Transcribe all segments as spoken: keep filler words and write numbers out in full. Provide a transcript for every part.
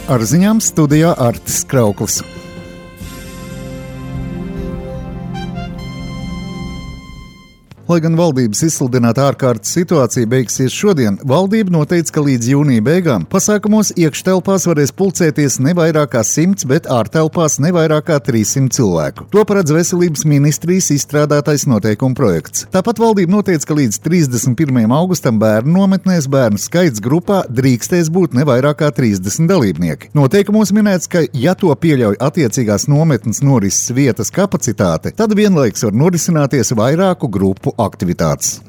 Ar ziņām studijā Artis Krauklis. Lai gan valdības izsludināta ārkārtas situācija beigsies šodien, valdība noteica, ka līdz jūnija beigām pasākumos iekštelpās varēs pulcēties ne vairāk kā simts, bet ārtelpās ne vairāk kā trīssimt cilvēku. To paredz Veselības ministrijas izstrādātais noteikumu projekts. Tāpat valdība noteica, ka līdz trīsdesmit pirmajam augustam bērnu nometnēs bērnu skaits grupā drīkstēs būt ne vairāk kā trīsdesmit dalībnieki. Noteikumos minēts, ka, ja to pieļauj attiecīgās nometnes norises vietas kapacitāte, tad vienlaiks var norisināties vairāku grupu aktivitātes.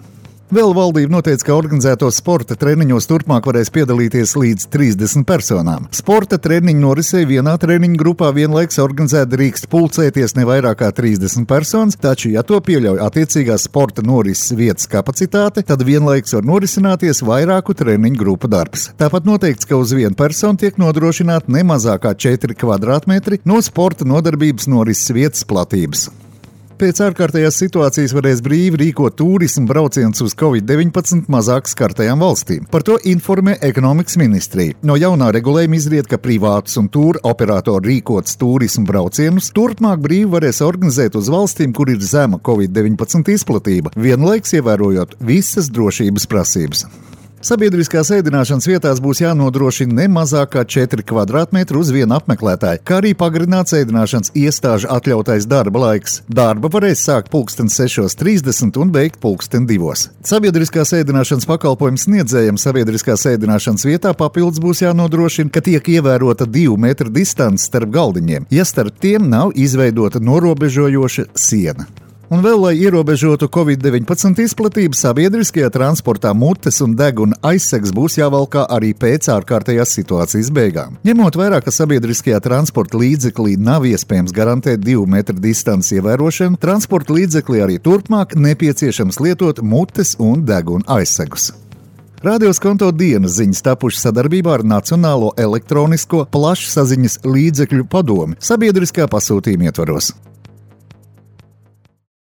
Vēl valdība noteica, ka organizētos sporta treniņos turpmāk varēs piedalīties līdz trīsdesmit personām. Sporta treniņu norisei vienā treniņu grupā vienlaiks organizēt drīkst pulcēties ne vairāk kā trīsdesmit personas, taču, ja to pieļauj attiecīgās sporta norises vietas kapacitāte, tad vienlaiks var norisināties vairāku treniņu grupu darbs. Tāpat noteikts, ka uz vienu personu tiek nodrošināta ne mazāk kā četri kvadrātmetri no sporta nodarbības norises vietas platības. Pēc ārkārtējās situācijas varēs brīvi rīkot turismu braucienus uz covid deviņpadsmit mazāk skartajām valstīm. Par to informē ekonomikas ministrija. No jaunā regulējuma izriet, ka privātus un tūra operatori rīkots turismu braucienus turpmāk brīvi varēs organizēt uz valstīm, kur ir zema covid deviņpadsmit izplatība, vienlaiks ievērojot visas drošības prasības. Sabiedriskās ēdināšanas vietās būs jānodrošina ne mazāk kā četri kvadrātmetri uz vienu apmeklētāju, kā arī pagarināts ēdināšanas iestāžu atļautais darba laiks. Darba varēs sākt pulksten sešos trīsdesmit un beigt pulksten divos. Sabiedriskās ēdināšanas pakalpojums sniedzējiem sabiedriskās ēdināšanas vietā papildus būs jānodrošina, ka tiek ievērota divu metru distance starp galdiņiem, ja starp tiem nav izveidota norobežojoša siena. Un vēl, lai ierobežotu covid deviņpadsmit izplatību, sabiedriskajā transportā mutes un deguna aizsegs būs jāvalkā arī pēc ārkārtējās situācijas beigām. Ņemot vērā, ka sabiedriskajā transporta līdzeklī nav iespējams garantēt divu metru distanci ievērošanu, transporta līdzeklī arī turpmāk nepieciešams lietot mutes un deguna aizsegus. Radioskonto dienas ziņas tapušas sadarbībā ar Nacionālo elektronisko plašsaziņas līdzekļu padomi sabiedriskā pasūtījuma ietvaros.